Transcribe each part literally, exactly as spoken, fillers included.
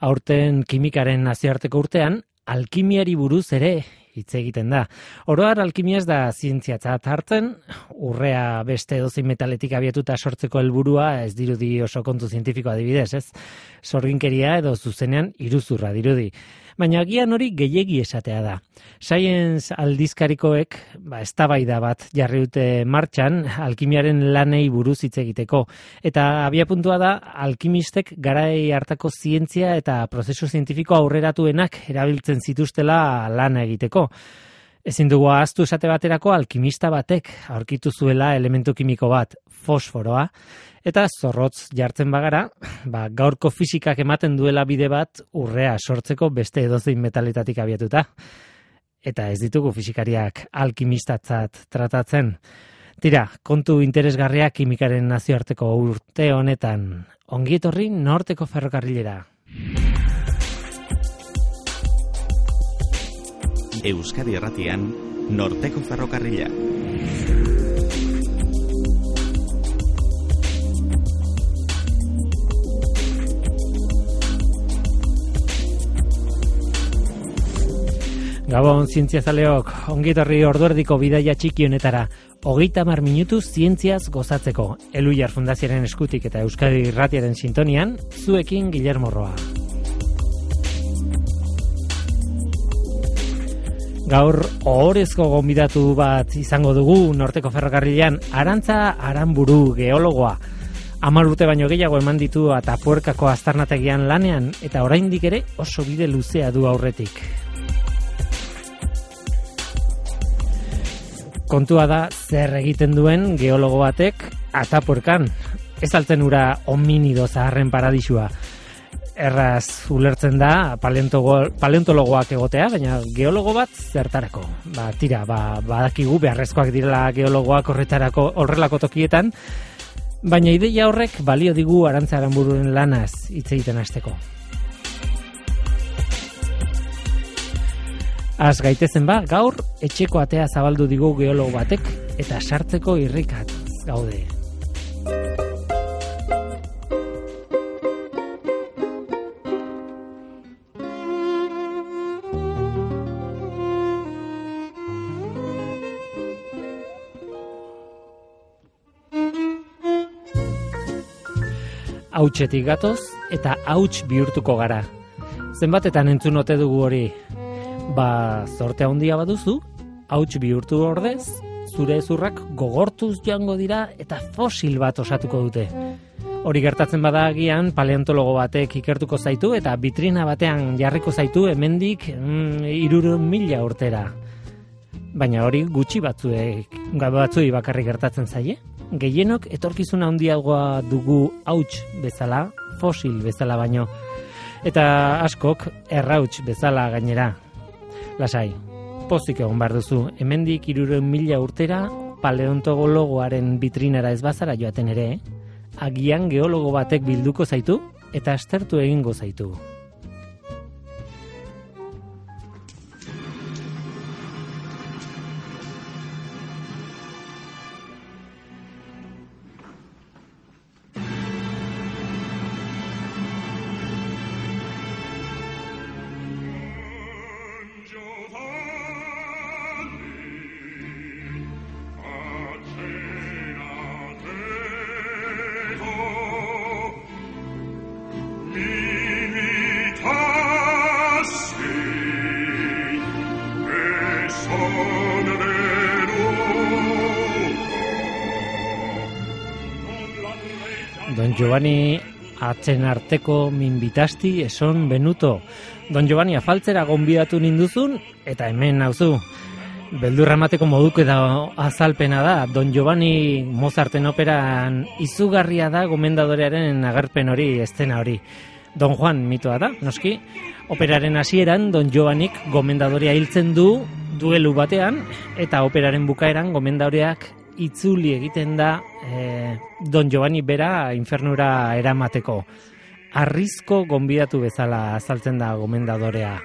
Aurten kimikaren nazioarteko urtean, alkimiari buruz ere hitz egiten da. Oro har alkimia ez da zientziatzat hartzen, urrea beste edozein metaletik abiatuta sortzeko helburua ez dirudi oso kontu zientifiko adibidez, ez? Sorginkeria edo zuzenean iruzurra dirudi. Baina agian hori gehiegi esatea da. Science aldizkarikoek, ba, eztabaida bat jarri dute martxan alkimiaren lanei buruz hitz egiteko. Eta abiapuntua da alkimistek garai hartako zientzia eta prozesu zientifiko aurreratuenak erabiltzen zituztela lana egiteko. Ezin dugu ahaztu esate baterako alkimista batek aurkitu zuela elementu kimiko bat, fosforoa, eta zorrotz jartzen bagara, ba, gaurko fisikak ematen duela bide bat urrea sortzeko beste edozein metaletatik abiatuta. Eta ez ditugu fisikariak alkimistatzat tratatzen. Tira, kontu interesgarria kimikaren nazioarteko urte honetan. Ongi etorri Norteko Ferrokarrilera. Euskadi Erratian, Norteko Ferrokarrila. Gabon zientziazaleok, ongi etorri orduerdiko bidaia txiki honetara. Hogeita hamar minutu zientziaz gozatzeko. Eluiar Fundazioaren eskutik eta Euskadi Irratiaren sintonian, zuekin Guillermo Roa. Gaur ohorezko gonbidatu bat izango dugu Norteko Ferrokarrilean, Arantza Aranburu, geologoa. Hamar urte baino gehiago eman ditu Atapuerkako aztarnategian lanean, eta oraindik ere oso bide luzea du aurretik. Kontua da zer egiten duen geologo batek Atapuerkan. Ez altzen ura hominido zaharren paradisua. Erraz ulertzen da paleontologoak egotea, baina geologo bat zertarako. Ba, tira, ba, badakigu beharrezkoak direla geologoak horretarako horrelako tokietan, baina ideia horrek balio digu Arantza Aranbururen lanaz hitz egiten hasteko. Az gaitezen ba, gaur etxeko atea zabaldu digu geologo batek eta sartzeko irrikat gaude. Hautsetik gatoz eta hauts bihurtuko gara. Zenbatetan entzun ote dugu hori? Ba, zorte handia baduzu, hauts bihurtu ordez, zure ezurrak gogortuz joango dira eta fosil bat osatuko dute. Hori gertatzen bada agian paleontologo batek ikertuko zaitu eta bitrina batean jarriko zaitu hemendik mm, hirurehun mila urtera. Baina hori gutxi batzuek, batzuei bakarrik gertatzen zaie. Gehienok etorkizuna handiagoa dugu hauts bezala, fosil bezala baino. Eta askok errauts bezala gainera. Lasai, pozik egon behar duzu, hemendik hirurehun mila urtera paleontologoaren bitrinara ez bazara joaten ere, agian geologo batek bilduko zaitu eta aztertu egingo zaitu. Don Giovanni atzen arteko minbitasti eson benuto. Don Giovanni afaltzera gonbidatu ninduzun eta hemen nauzu. Beldurra emateko moduko eta azalpena da. Don Giovanni Mozarten operan izugarria da gomendadorearen agerpen hori, estena hori. Don Juan mitoa da, noski. Operaren hasieran Don Giovannik gomendadorea hiltzen du duelu batean eta operaren bukaeran gomendadoreak itzuli egiten da eh, Don Giovanni bera infernura eramateko. Arrizko gonbidatu bezala azaltzen da gomendadorea.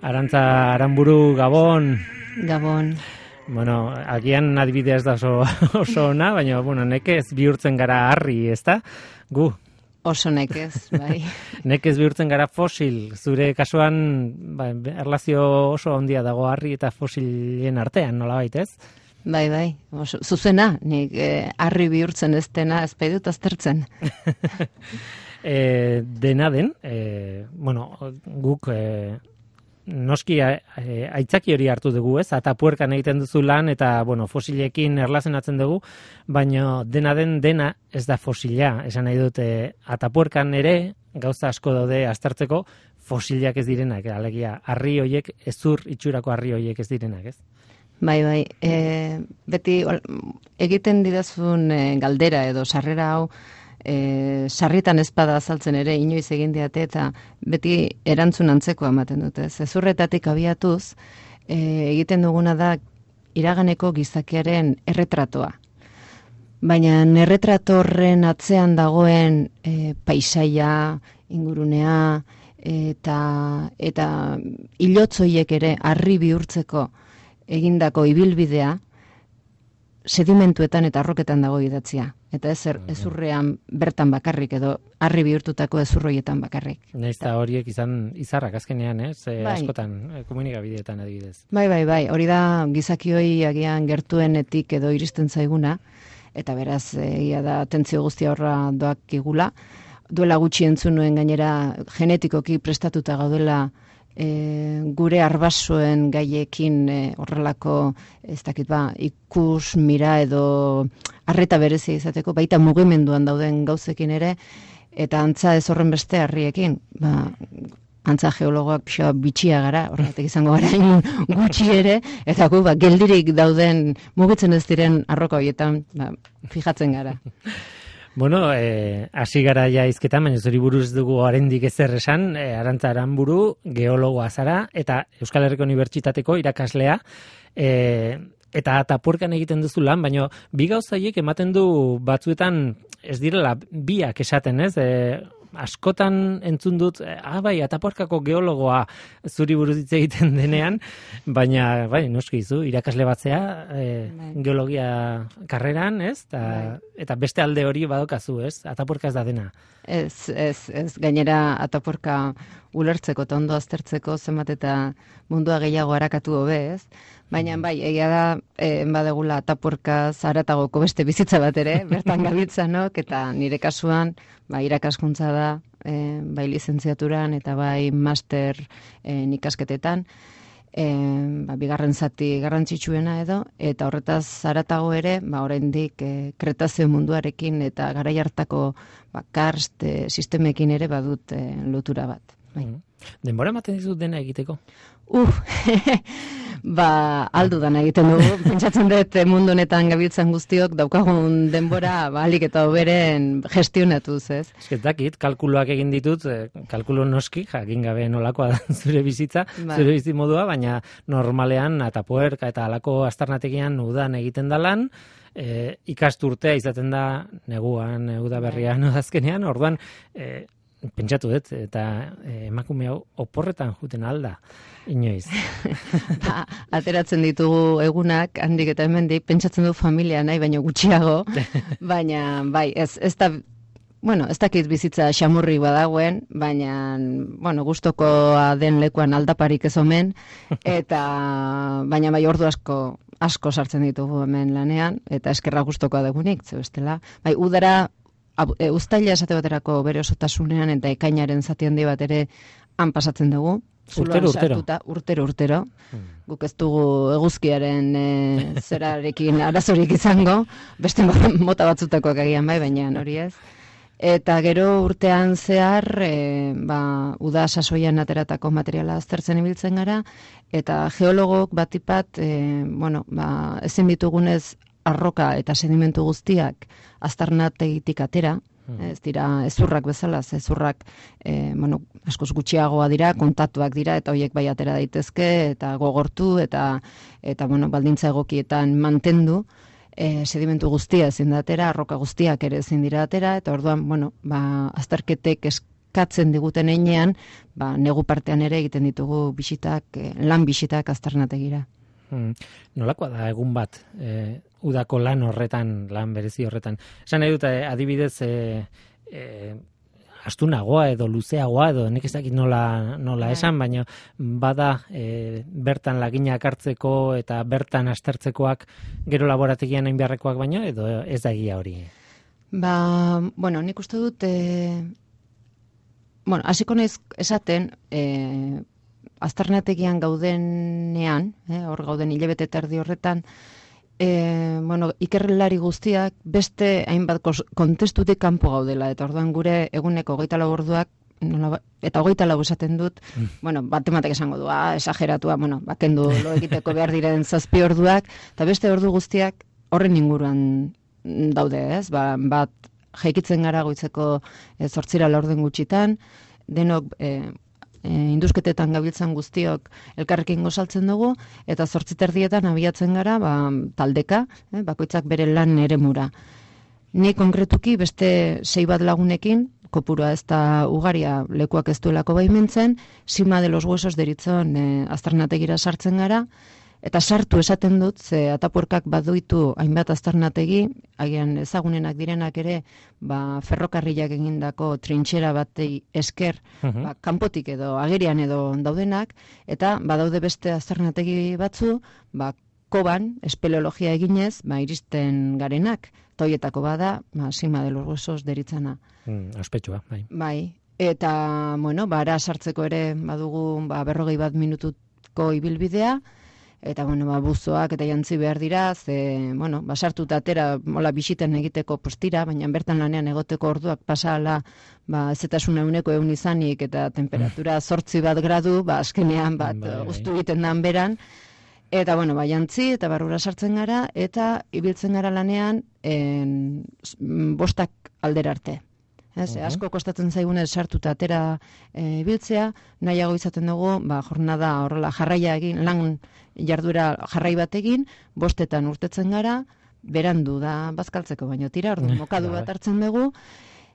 Arantza Aranburu, Gabon. Gabon. Bueno, agian adibidea ez da oso, oso ona, baina, bueno, nekez bihurtzen gara harri, ezta? Gu. Oso nekez, bai. Nekez bihurtzen gara fosil. Zure kasuan, ba, erlazio oso handia dago harri eta fosilen artean, nolabait, ez? Bai, bai. Oso, zuzena, nik eh, harri bihurtzen ez dena ez dut aztertzen. e, dena den, e, bueno, guk... E, Noski aitzaki hori hartu dugu, ez? Atapuerkan egiten duzu lan eta, bueno, fosilekin erlazionatzen dugu, baina dena den dena ez da fosila. Esan nahi dute, atapuerkan ere gauza asko daude aztertzeko fosiliak ez direnak, alegia harri hoiek, ezur itxurako harri hoiek ez direnak, ez? Bai, bai. E, beti egiten didazun e, galdera edo sarrera hau E, sarritan ezpada azaltzen ere inoiz egin diate eta beti erantzun antzeko ematen dute. Zezurretatik abiatuz e, egiten duguna da iraganeko gizakiaren erretratoa. Baina erretratorren atzean dagoen e, paisaia, ingurunea eta eta ilotzoiek ere harri bihurtzeko egindako ibilbidea sedimentuetan eta arroketan dago idatzia. Eta ez ezurrean bertan bakarrik edo harri bihurtutako ezurroietan bakarrik. Naiz eta horiek izan izarrak azkenean, ez? E, bai. Askotan komunikabideetan adibidez. Bai, bai, bai. Hori da gizakioi agian gertuenetik edo iristen zaiguna eta beraz egia da atentzio guztia horra doak igula. Duela gutxi entzun nuen gainera genetikoki prestatuta gaudela E, gure arbasoen gaiekin e, horrelako ez dakit ba, ikus, mira edo arreta berezia izateko, baita mugimenduan dauden gauzekin ere, eta antza ez horren beste harriekin, ba, antza geologoak pixoa bitxia gara, horregatik izango gara gutxi ere, eta gu, ba, geldirik dauden mugitzen ez diren arroka horietan, ba, fijatzen gara. Bueno, eh, hasi gara ja hizketan, baina zuri buruz dugu oraindik ezer esan, eh, Arantza Aranburu, geologoa zara, eta Euskal Herriko Unibertsitateko irakaslea, eh, eta atapuerkan egiten duzu lan, baina bi gauza horiek ematen du batzuetan ez direla biak esaten, ez? Eh, askotan entzun dut, ah bai, atapuerkako geologoa zuri buruz hitz egiten denean, baina bai, noski zu, irakasle batzea, e, geologia karreran, ez? Ta, eta beste alde hori badokazu, ez? Atapuerka ez da dena. Ez, ez, ez, gainera atapuerka ulertzeko eta ondo aztertzeko zenbat eta mundua gehiago harakatu hobe, ez? Baina bai, egia da, e, badegula atapuerka zaratagoko beste bizitza bat ere, bertan gabiltzanok, eta nire kasuan, ba, irakaskuntza da, e, bai lizentziaturan eta bai master e, ikasketetan, e, ba, bigarren zati garrantzitsuena edo, eta horretaz zaratago ere, ba, oraindik e, kretazio munduarekin eta garai hartako ba, karst e, sistemekin ere badut e, lotura bat. Bai. Denbora ematen dizut dena egiteko? Uh, ba, aldu dana egiten dugu. Pentsatzen dut mundu honetan gabiltzan guztiok daukagun denbora balik eta hoberen gestionatuz, ez? Ez dakit, kalkuloak egin ditut, kalkulo noski, jakin gabe nolakoa da zure bizitza, ba. Zure bizimodua, baina normalean atapuerka eta halako aztarnategian udan egiten da lan, e, ikasturtea izaten da neguan, udaberrian, udazkenean, orduan, e, pentsatu dut, eta eh, emakume hau oporretan juten alda, inoiz. Ba, ateratzen ditugu egunak, handik eta hemendik, pentsatzen du familia nahi, baino gutxiago, baina, bai, ez, ez da, bueno, ez dakit bizitza xamurri badagoen, baina, bueno, gustokoa den lekuan aldaparik ez omen, eta, baina bai ordu asko, asko sartzen ditugu hemen lanean, eta eskerra gustokoa dugunik, ze bestela, bai, udara, E, uztaila esate baterako bere osotasunean eta ekainaren zati handi bat ere han pasatzen dugu. Urtero, urtero. Sartuta, urtero, urtero. Hmm. Guk ez dugu eguzkiaren e, zerarekin arazorik izango, beste mota batzutakoak agian bai, baina hori ez. Eta gero urtean zehar, e, ba, uda sasoian ateratako materiala aztertzen ibiltzen gara, eta geologok batipat, e, bueno, ba, ezin ditugunez arroka eta sedimentu guztiak aztarnategitik atera, hmm. ez dira ezurrak bezala, ezurrak e, bueno, askoz gutxiagoa dira, kontatuak dira, eta horiek bai atera daitezke, eta gogortu, eta, eta bueno, baldintza egokietan mantendu, e, sedimentu guztia ezin da atera, arroka guztiak ere ezin dira atera, eta orduan, bueno, ba, azterketek eskatzen diguten einean, ba, negu partean ere egiten ditugu bisitak, lan bisitak aztarnategira. Hmm. Nolakoa da egun bat, e, udako lan horretan, lan berezi horretan? Esan nahi dut, adibidez, e, e, astunagoa edo luzeagoa edo nik ez dakit nola, nola esan, baina bada e, bertan laginak hartzeko eta bertan aztertzekoak gero laborategian hain beharrekoak baino edo ez da egia hori? Ba, bueno, nik uste dut, e, bueno, hasiko naiz esaten, e, aztarnategian gaudenean, eh, hor gauden hilabete terdi horretan, e, bueno, ikerlari guztiak beste hainbat kontestutik kanpo gaudela, eta orduan gure eguneko hogeita lau orduak, nola, eta hogeita lau esaten dut, mm. bueno, batematek esango du, ah, esageratua, bueno, bakendu lo egiteko behar diren zazpi orduak, eta beste ordu guztiak horren inguruan daude, ez? Ba, bat jaikitzen gara goitzeko e, zortzira laurden gutxitan, denok e, e, indusketetan gabiltzan guztiok elkarrekin gozaltzen dugu, eta zortziterdietan abiatzen gara ba, taldeka, eh, bakoitzak bere lan eremura. Ni konkretuki beste sei bat lagunekin, kopurua ez da ugaria lekuak ez duelako baimentzen, Sima de los Huesos deritzon e, aztarnategira sartzen gara, eta sartu esaten dut, ze atapuerkak baduitu hainbat aztarnategi, agian ezagunenak direnak ere, ba, ferrokarrilak egindako trintxera batei esker, uh-huh. ba, kanpotik edo agerian edo daudenak, eta badaude beste aztarnategi batzu, ba, koban, espeleologia eginez, ba, iristen garenak, toietako bada, ba, Sima de los Huesos deritzana. Mm, ospetsua, bai. Bai, eta, bueno, ba, ara sartzeko ere badugu ba, berrogei bat minutuko ibilbidea, eta, bueno, ba, buzoak eta jantzi behar dira, ze, bueno, basartuta atera, mola bisiten egiteko postira, baina bertan lanean egoteko orduak pasala, ba, ezetasun euneko eun izanik, eta temperatura zortzi bat gradu, ba, azkenean bat guztu egiten dan beran, eta, bueno, ba, jantzi, eta barrura sartzen gara, eta ibiltzen gara lanean, en, bostak aldera arte. Ez, uh-huh. Asko kostatzen zaigunez sartuta atera e, biltzea, nahiago izaten dugu, ba, jornada horrela jarraia egin, lan jarduera jarrai bat egin, bostetan urtetzen gara, berandu da bazkaltzeko, baino tira, ordu mokadu bat hartzen dugu,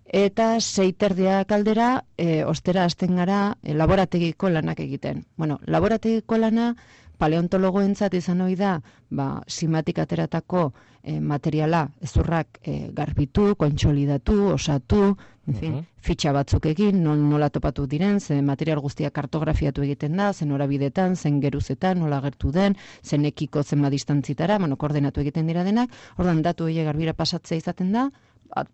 eta seiterdiak aldera, e, ostera hasten gara e, laborategiko lanak egiten. Bueno, laborategiko lana, paleontologoentzat izan ohi da, ba, simatik ateratako e, materiala, ezurrak e, garbitu, kontsolidatu, osatu, en fin, uh-huh. fitxa batzuk egin, non, nola topatu diren, zen material guztia kartografiatu egiten da, zen horabidetan, zen geruzetan, nola gertu den, zen ekiko zenba distantzitara, bueno, koordenatu egiten dira denak, ordan datu horiek garbira pasatzea izaten da,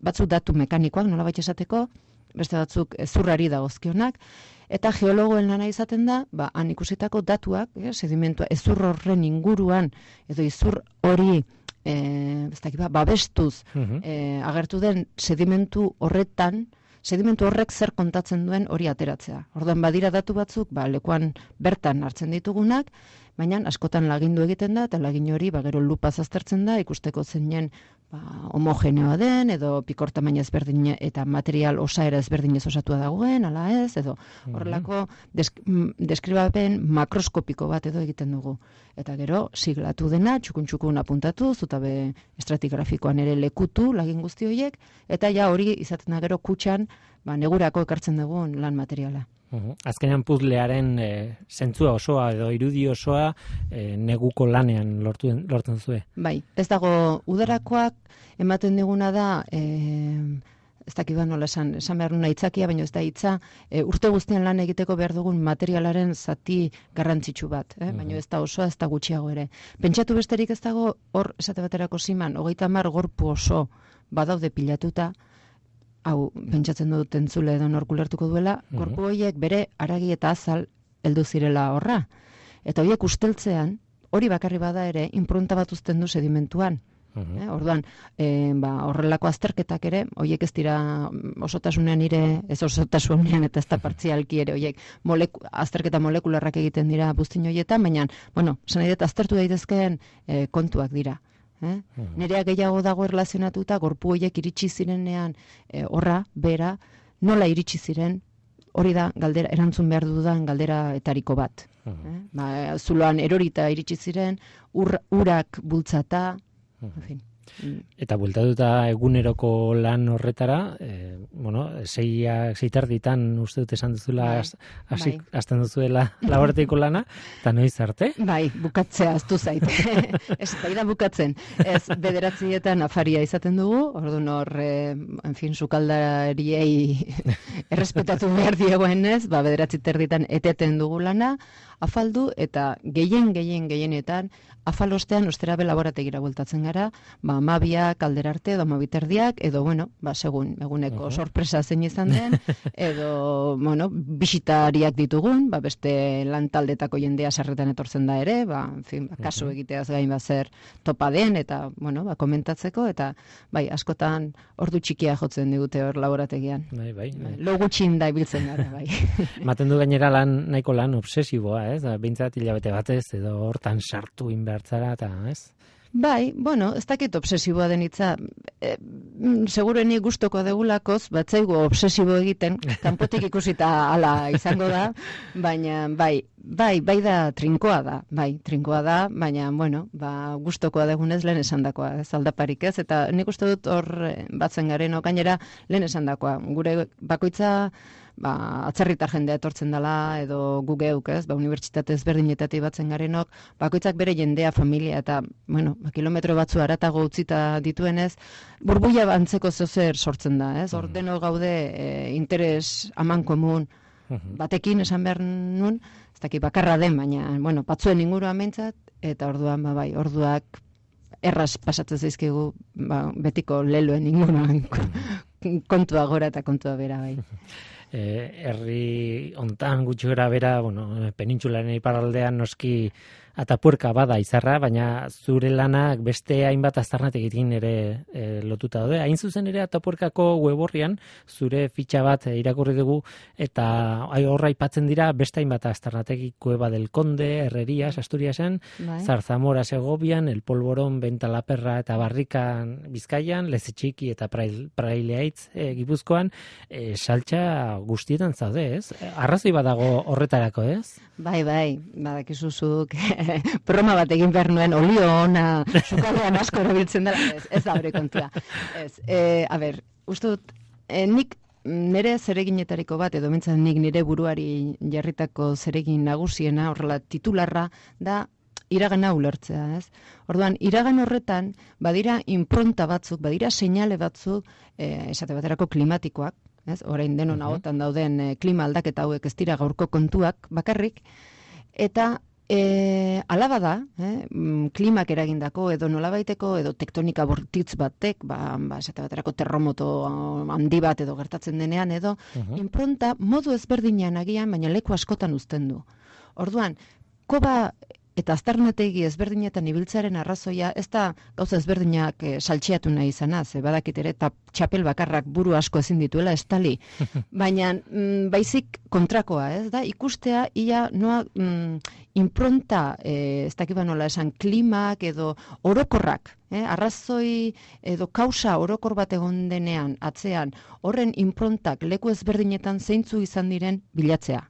batzuk datu mekanikoak, nola baita esateko, beste batzuk ezurrari dagozkionak, eta geologoen lana izaten da, ba, han ikusitako datuak, eh, sedimentua, ezur horren inguruan, edo izur hori, eh, ez dakit, ba, babestuz, uh-huh. eh, agertu den sedimentu horretan, sedimentu horrek zer kontatzen duen hori ateratzea. Orduan badira datu batzuk, ba, lekuan bertan hartzen ditugunak, baina askotan lagindu egiten da, eta lagin hori, ba, gero lupaz aztertzen da, ikusteko zeinen, ba, homogeneoa den, edo pikor tamaina ezberdin eta material osaera ezberdinez osatua dagoen, ala ez, edo horrelako desk, deskribapen makroskopiko bat edo egiten dugu. Eta gero, siglatu dena, txukun-txukun apuntatu, zutabe estratigrafikoan ere lekutu, lagin guzti horiek, eta ja hori izaten da gero kutxan, ba, negurako ekartzen dugun lan materiala. Uh-huh. Azkenean puzlearen e, zentzua osoa edo irudi osoa e, neguko lanean lortu, lortzen zuen. Bai, ez dago udarakoak ematen diguna da, e, ez dakit nola esan, esan behar nuna itzakia, baina ez da hitza, e, urte guztian lan egiteko behar dugun materialaren zati garrantzitsu bat, eh? Uh-huh. Baina ez da osoa, ez da gutxiago ere. Pentsatu besterik ez dago, hor esate baterako Siman, hogeita hamar gorpu oso badaude pilatuta, hau, pentsatzen dut entzule edo nork ulertuko duela, uh-huh. gorpu horiek bere aragi eta azal heldu zirela horra. Eta horiek usteltzean, hori bakarri bada ere, inprunta bat uzten du sedimentuan. Uh-huh. Eh, orduan, eh, ba, horrelako azterketak ere, horiek ez dira osotasunean ire, ez osotasunean eta ez da partzialki ere, horiek moleku, azterketa molekularrak egiten dira buztin horietan, baina, bueno, esan nahi dut aztertu daitezkeen eh, kontuak dira. Eh? Hmm. Nerea gehiago dago erlazionatuta, gorpu horiek iritsi zirenean e, horra, bera, nola iritsi ziren, hori da galdera, erantzun behar dudan galdera etariko bat. Hmm. Eh? Ba, zuloan erorita iritsi ziren, ur, urak bultzata, hmm. en fin. Eta bueltatuta eguneroko lan horretara, e, bueno, seiak seiterditan uste dut esan duzula hasi hasten duzuela laborategiko lana, eta noiz arte? Bai, bukatzea aztu zait. Ez bai da bukatzen. Ez bederatzietan afaria izaten dugu, orduan hor, e, en fin, sukaldariei errespetatu behar diegoenez, ba bederatzi terditan eteten dugu lana, afaldu eta gehien gehien gehienetan afalostean ostera be laborategira bueltatzen gara, ba amabiak aldera arte edo amabiterdiak edo bueno, ba segun eguneko uh -huh. sorpresa zein izan den edo bueno, bisitariak ditugun, ba beste lan taldetako jendea sarretan etortzen da ere, ba en fin, ba, kasu egiteaz gain ba zer topa den eta bueno, ba komentatzeko eta bai, askotan ordu txikia jotzen digute hor laborategian. Bai, bai. bai. Lo gutxin da ibiltzen gara, bai. Ematen du gainera lan nahiko lan obsesiboa, ez? Behintzat hilabete batez edo hortan sartu inbertzara eta, ez? Bai, bueno, ez dakit obsesiboa den hitza. E, segurenik gustoko degulakoz, batzaigu obsesibo egiten, kanpotik ikusita hala izango da, baina bai, bai, bai da trinkoa da, bai, trinkoa da, baina, bueno, ba, gustokoa degunez lehen esandakoa, ez aldaparik ez, eta nik uste dut hor batzen garen, gainera lehen esandakoa, gure bakoitza ba, atzerritar jendea etortzen dela, edo gu geuk, ez, ba, unibertsitate ezberdinetatik batzen garenok, bakoitzak bere jendea, familia, eta, bueno, ba, kilometro batzu aratago utzita dituenez, burbuia antzeko zozer sortzen da, ez, hor deno gaude e, interes aman komun batekin esan behar nun, ez dakit bakarra den, baina, bueno, batzuen inguruan meintzat, eta orduan, ba, bai, orduak erraz pasatzen zaizkigu, ba, betiko leloen inguruan kontua gora eta kontua bera, bai. Herri hontan gutxi gara bera, bueno, penintsularen iparraldean noski atapuerka bada izarra, baina zure lanak beste hainbat aztarnategitin ere e, lotuta daude. Hain zuzen ere atapuerkako web orrian zure fitxa bat irakurri dugu eta horra aipatzen dira beste hainbat aztarnategi, Cueva del Conde, Herrerias, Asturiasen, bai. Zarzamora Segovian, El Polvorón, Bentalaperra eta Barrikan Bizkaian, Lezetxiki eta Praileaitz e, Gipuzkoan, e, saltxa guztietan zaude, ez? Arrazoi badago horretarako, ez? Bai, bai, badakizuzuk broma bat egin behar nuen, olio ona, sukaldean asko erabiltzen dela, ez, ez da hori kontua. Ez, e, a ber, uste dut, e, nik nire zereginetariko bat, edo mentzat nik nire buruari jarritako zeregin nagusiena, horrela titularra, da iragana ulertzea, ez? Orduan, iragan horretan, badira impronta batzuk, badira seinale batzuk, e, esate baterako klimatikoak, ez? Orain denon uh-huh. ahotan dauden e, klima aldaketa hauek ez dira gaurko kontuak bakarrik, eta E, alaba da, eh, klimak eragindako edo nolabaiteko edo tektonika bortitz batek, ba, ba esate baterako terremoto handi bat edo gertatzen denean edo uh-huh. impronta modu ezberdinean agian, baina leku askotan uzten du. Orduan, koba eta aztarnategi ezberdinetan ibiltzaren arrazoia, ez da gauza ezberdinak e, saltxeatu nahi izana, ze badakit ere, eta txapel bakarrak buru asko ezin dituela, estali. Baina mm, baizik kontrakoa, ez da, ikustea ia noa mm, impronta, e, ez dakiba nola esan, klimak edo orokorrak, eh, arrazoi edo kausa orokor bat egon denean, atzean, horren improntak leku ezberdinetan zeintzu izan diren bilatzea.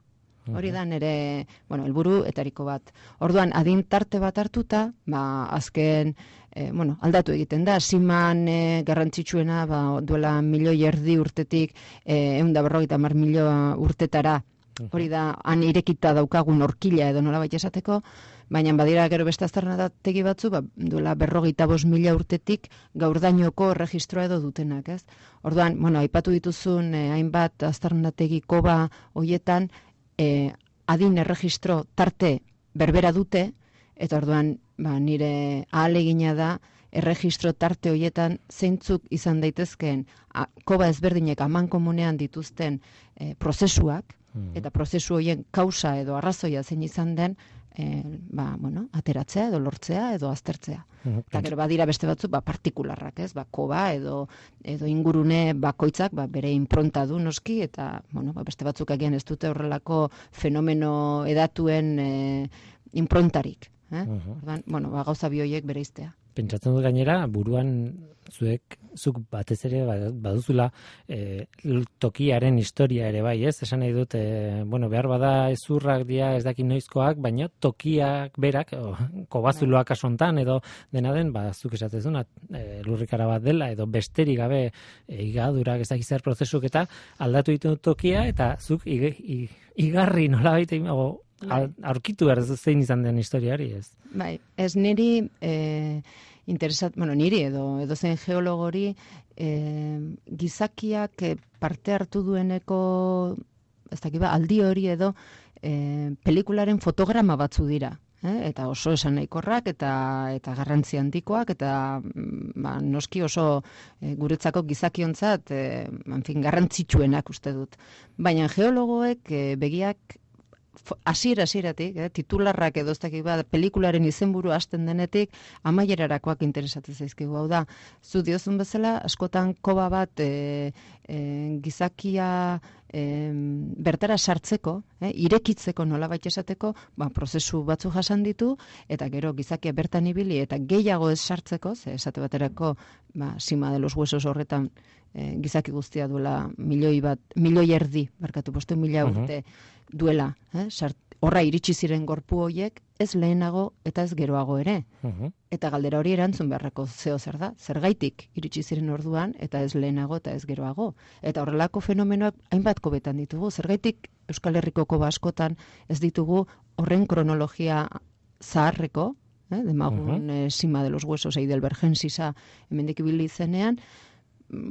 Hori da nire, bueno, helburu etariko bat. Orduan, adin tarte bat hartuta, ba, azken, e, bueno, aldatu egiten da, siman e, garrantzitsuena, ba, duela milioi erdi urtetik, e, eunda berrogeita mar milio urtetara, hori da, han irekita daukagun orkila edo nolabait esateko, baina badira gero beste aztarnategi batzu, ba, duela berrogeita bost mila urtetik gaurdainoko erregistroa edo dutenak, ez? Orduan, bueno, aipatu dituzun, e, hainbat aztarnategi koba hoietan, E, adin erregistro tarte berbera dute, eta orduan ba, nire ahalegina da erregistro tarte hoietan zeintzuk izan daitezkeen a, koba ezberdinek aman komunean dituzten e, prozesuak, mm. eta prozesu horien kausa edo arrazoia zein izan den, e, ba, bueno, ateratzea edo lortzea edo aztertzea. Mm. Eta gero badira beste batzuk ba, partikularrak, ez? Ba, koba edo, edo ingurune bakoitzak ba, bere impronta du noski, eta bueno, ba, beste batzuk agian ez dute horrelako fenomeno edatuen e, improntarik. Eh? Uh-huh. Ordan, bueno, ba, gauza bi horiek bereiztea. pentsatzen dut gainera, buruan zuek, zuk batez ere baduzula e, tokiaren historia ere bai, ez? Esan nahi dut, e, bueno, behar bada ezurrak dira ez dakin noizkoak, baina tokiak berak, o, kobazuloak asontan edo dena den, ba, zuk esatezuna, e, lurrikara bat dela, edo besterik gabe e, igadurak ez dakiz zer prozesuk eta aldatu ditu tokia, eta zuk ig, ig, igarri nola baita, aurkitu behar zein izan den historia hori, ez? Bai, ez niri... E... interesat, bueno, niri edo edo zen geologori e, gizakiak parte hartu dueneko ez dakit ba, aldi hori edo e, pelikularen fotograma batzu dira, eh? Eta oso esan nahikorrak eta eta garrantzi handikoak eta ba, noski oso e, guretzako gizakiontzat e, en fin, garrantzitsuenak uste dut. Baina geologoek e, begiak hasiera hasieratik, eh, titularrak edo ez dakit ba, pelikularen izenburu hasten denetik amaierarakoak interesatzen zaizkigu. Hau da, zu diozun bezala, askotan koba bat e, e, gizakia e, bertara sartzeko, eh, irekitzeko nolabait esateko, ba, prozesu batzu jasan ditu, eta gero gizakia bertan ibili, eta gehiago ez sartzeko, ze esate baterako, ba, sima de los huesos horretan, e, gizaki guztia duela milioi bat, milioi erdi, barkatu postu mila urte, duela, eh? Sart, horra iritsi ziren gorpu hoiek, ez lehenago eta ez geroago ere. Uh-huh. Eta galdera hori erantzun beharreko zeo zer da, zergaitik iritsi ziren orduan eta ez lehenago eta ez geroago. Eta horrelako fenomenoak hainbat kobetan ditugu, zergaitik Euskal Herriko koba askotan ez ditugu horren kronologia zaharreko, eh? Demagun uh-huh. eh, sima de los huesos Heidelbergensisa hemendik ibili zenean,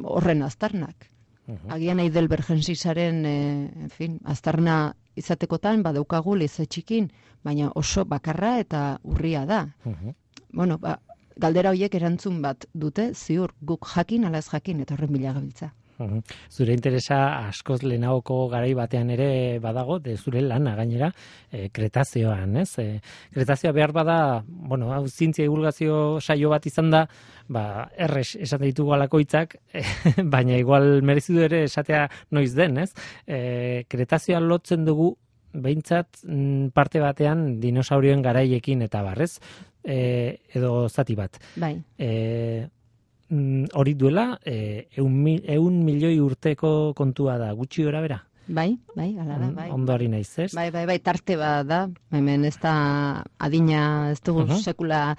horren aztarnak. Uh-huh. Agian Heidelbergensisaren, eh, en fin, aztarna izatekotan badaukagu leize txikin, baina oso bakarra eta urria da. Uh-huh. Bueno, ba, galdera horiek erantzun bat dute, ziur guk jakin ala ez jakin eta horren bila gabiltza. Uh-huh. Zure interesa askoz lehenagoko garai batean ere badago, de zure lana gainera, e, kretazioan, ez? E, kretazioa behar bada, bueno, hau zientzia divulgazio saio bat izan da, ba, erres esate ditugu alako hitzak, baina igual merezidu ere esatea noiz den, ez? E, kretazioa lotzen dugu, behintzat parte batean dinosaurioen garaiekin eta barrez, e, edo zati bat. Bai. E, hori duela, e, eun, eun milioi urteko kontua da, gutxi gora bera? Bai, bai, ala da, bai. Ondori naiz, ez? Bai, bai, bai, tarte bat da, hemen ez da adina, ez dugu uh-huh. sekula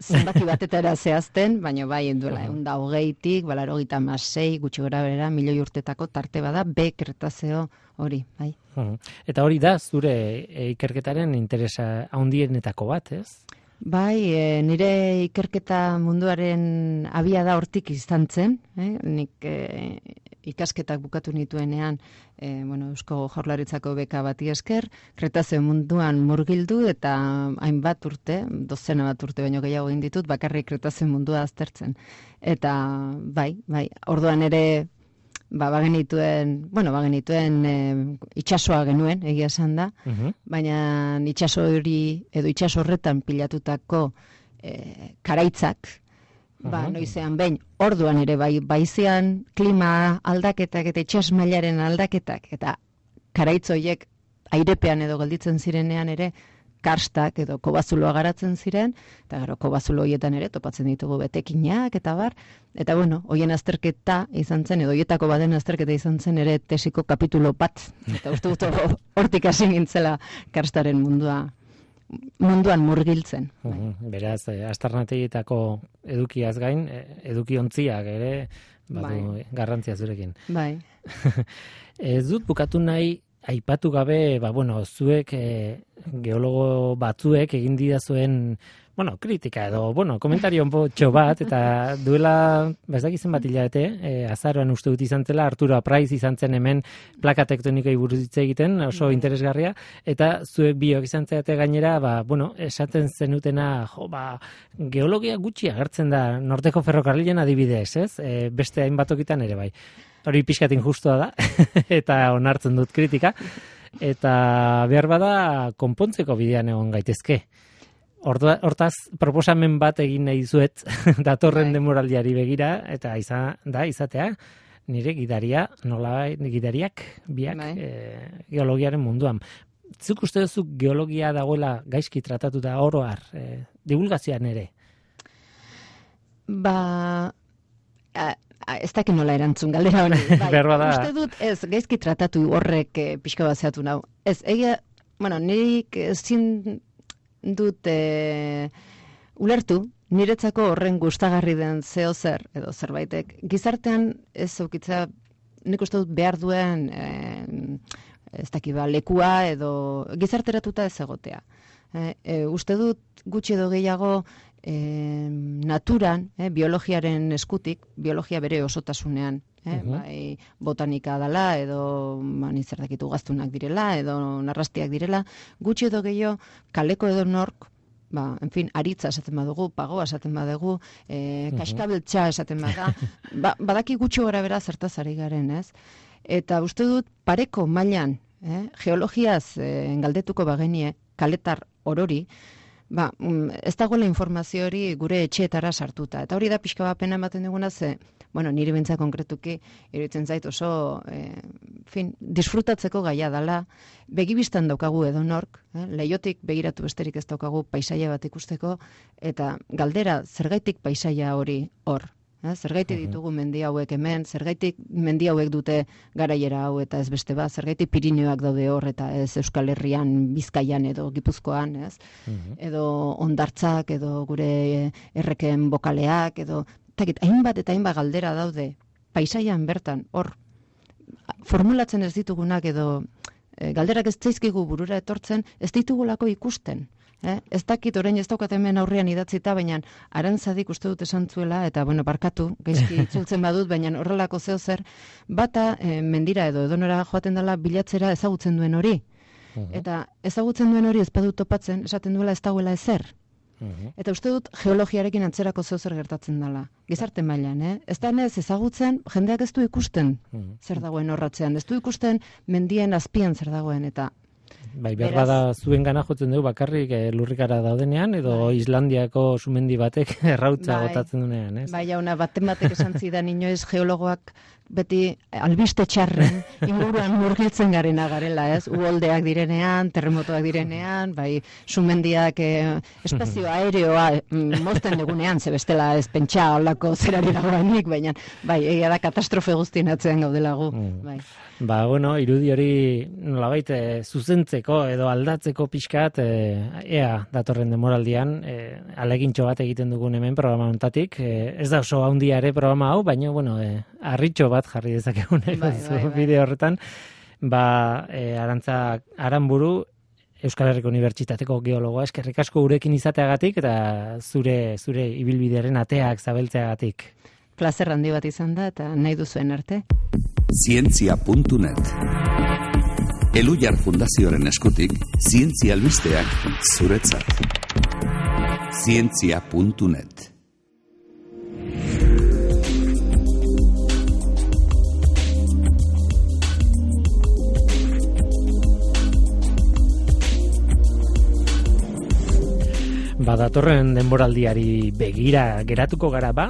zenbaki batetara zehazten, baina bai, duela, egun da hogeitik, balaro gita masei, gutxi gora bera, milioi urtetako tarte bat da, be kretazeo hori, bai. Uh-huh. Eta hori da, zure ikerketaren interesa handienetako bat, ez? Bai, e, nire ikerketa munduaren abia da hortik izan zen, eh? Nik e, ikasketak bukatu nituenean, e, bueno, Eusko Jaurlaritzako beka bati esker, kretazeo munduan murgildu eta hainbat urte, dozena bat urte baino gehiago egin ditut, bakarrik kretazeo mundua aztertzen. Eta bai, bai, orduan ere ba bagenituen, bueno, bagenituen e, itsasoa genuen, egia esan da, uh-huh. baina itsaso hori edo itsaso horretan pilatutako e, karaitzak, uh-huh. ba noizean behin, orduan ere bai baizean klima aldaketak eta itsas mailaren aldaketak eta karaitz horiek airepean edo gelditzen zirenean ere karstak edo kobazuloa garatzen ziren, eta gero kobazulo horietan ere topatzen ditugu betekinak eta bar, eta bueno, hoien azterketa izan zen, edo hoietako baden azterketa izan zen ere tesiko kapitulo bat, eta uste dut hortik hasi nintzela karstaren mundua munduan murgiltzen. Uh-huh. Beraz, eh, aztarnategietako edukiaz gain, eduki ontziak ere, badu bai. Garrantzia zurekin. Bai. Ez dut bukatu nahi, aipatu gabe, ba, bueno, zuek e, geologo batzuek egin didazuen, bueno, kritika edo, bueno, komentario onpotxo bat, eta duela, ba, ez dakizen bat hilabete, e, azaroan uste dut izan zela, Arturo Apraiz izan zen hemen plaka tektonikei buruz hitz egiten, oso mm. interesgarria, eta zuek biok izan zeate gainera, ba, bueno, esaten zenutena, jo, ba, geologia gutxi agertzen da, Norteko ferrokarrilen adibidez, ez? E, beste hainbatokitan ere bai. Hori pixkat injustua da, eta onartzen dut kritika, eta behar bada konpontzeko bidean egon gaitezke. Hortaz, proposamen bat egin nahi zuet, datorren demoraldiari begira, eta izan, da, izatea, nire gidaria, nola gidariak, biak, e, geologiaren munduan. Zuk uste duzu geologia dagoela gaizki tratatu da oroar, e, divulgazioan ere? Ba, a, a, ez dakit nola erantzun galdera honi. Bai, uste dut, ez, gaizki tratatu horrek e, pixka bat zehatu nau. Ez, egia, bueno, nirik ezin dut e, ulertu, niretzako horren gustagarri den zeo zer, edo zerbaitek. Gizartean ez aukitza, nik uste dut behar duen, e, ez dakit ba, lekua edo gizarteratuta ez egotea. E, e, uste dut gutxi edo gehiago e, naturan, e, biologiaren eskutik, biologia bere osotasunean, e, uh-huh. bai, botanika dela, edo mani zer dakitu gaztunak direla, edo narrastiak direla, gutxi edo gehiago kaleko edo nork, ba, en fin, aritza esaten badugu, pagoa esaten badugu, e, kaskabeltza esaten bada, ba, badaki gutxi gara bera zertaz ari garen, ez? Eta uste dut pareko mailan, eh, geologiaz eh, galdetuko bagenie, kaletar orori, ba, ez dagoela informazio hori gure etxeetara sartuta. Eta hori da pixka bat pena ematen duguna ze, bueno, niri bintza konkretuki, iruditzen zait oso, eh, fin, disfrutatzeko gaia dela, begibistan daukagu edo nork, eh, leiotik begiratu besterik ez daukagu paisaia bat ikusteko, eta galdera, zergaitik paisaia hori hor? Eh, zergaitik ditugu mendi hauek hemen, zergaitik mendi hauek dute garaiera hau eta ez beste bat, zergaitik Pirineoak daude hor eta ez Euskal Herrian, Bizkaian edo Gipuzkoan, ez? Uh-huh. Edo hondartzak, edo gure erreken bokaleak, edo takit, hainbat eta hainbat galdera daude paisaian bertan, hor, formulatzen ez ditugunak edo e, galderak ez zaizkigu burura etortzen, ez ditugulako ikusten. Eh? Ez dakit orain ez daukat hemen aurrean idatzita, baina Arantzadik uste dut esan zuela, eta bueno, barkatu, gaizki itzultzen badut, baina horrelako zeo zer, bata eh, mendira edo edonora joaten dela bilatzera ezagutzen duen hori. Uh-huh. Eta ezagutzen duen hori ez badut topatzen, esaten duela ez dagoela ezer. Uh-huh. Eta uste dut geologiarekin antzerako zeo zer gertatzen dela. Gizarte mailan, eh? Ez da ez ezagutzen, jendeak ez du ikusten uh-huh. zer dagoen horratzean, ez du ikusten mendien azpian zer dagoen, eta bai, behar bada zuen gana jotzen dugu bakarrik e, lurrikara daudenean, edo bai. Islandiako sumendi batek errautza bai. Gotatzen duenean, ez? Bai, jauna, baten batek esan zidan inoiz geologoak beti albiste txarren inguruan murgiltzen garena garela, ez? Uholdeak direnean, terremotoak direnean, bai, sumendiak eh, espazio aereoa mm, mozten dugunean, ze bestela ez pentsa holako zerari dagoenik, baina bai, egia da katastrofe guztien atzean gaudelagu, mm. bai. Ba, bueno, irudi hori nolabait e, zuzentzeko edo aldatzeko pixkat, e, ea datorren demoraldian, e, alegintxo bat egiten dugun hemen programa honetatik. E, ez da oso handia ere programa hau, baina, bueno, e, harritxo bat jarri dezakegun bai, bai, bai. Bideo horretan. Ba, e, Arantza Aranburu, Euskal Herriko Unibertsitateko geologoa, eskerrik asko gurekin izateagatik, eta zure zure ibilbidearen ateak zabeltzeagatik. Plazer handi bat izan da, eta nahi duzuen arte. Zientzia puntu net Elhuyar Fundazioaren eskutik, zientzia albisteak zuretzat. Zientzia puntu net Badatorren denboraldiari begira geratuko gara ba,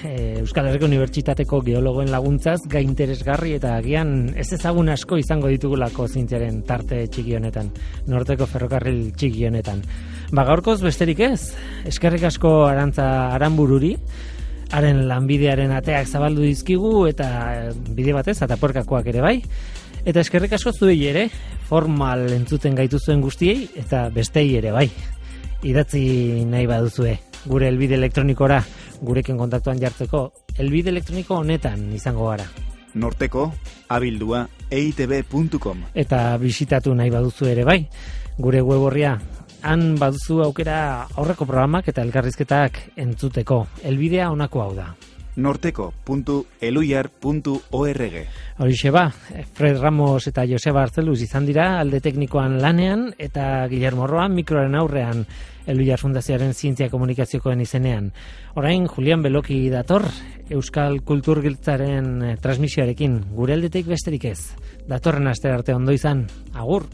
Euskal Herriko Unibertsitateko geologoen laguntzaz gai interesgarri eta agian ez ezagun asko izango ditugulako zientziaren tarte txiki honetan, Norteko ferrokarril txiki honetan. Ba gaurkoz besterik ez, eskerrik asko Arantza Aranbururi, haren lanbidearen ateak zabaldu dizkigu eta bide batez ataporkakoak ere bai. Eta eskerrik asko zuei ere, formal entzuten gaituzuen guztiei eta bestei ere bai. Idatzi nahi baduzue, gure helbide elektronikora, gurekin kontaktuan jartzeko, helbide elektroniko honetan izango gara. Norteko, abildua, e i te be puntu com. Eta bisitatu nahi baduzu ere bai, gure web horria, han baduzu aukera aurreko programak eta elkarrizketak entzuteko. Helbidea honako hau da. norteko puntu elhuyar puntu org. Horixe ba, Fred Ramos eta Joseba Arzeluz izan dira alde teknikoan lanean eta Guillermo Roa mikroaren aurrean Elhuyar Fundazioaren zientzia komunikaziokoen izenean. Orain Julian Beloki dator Euskal Kulturgiltzaren transmisioarekin, gure aldetik besterik ez. Datorren aste arte ondo izan. Agur!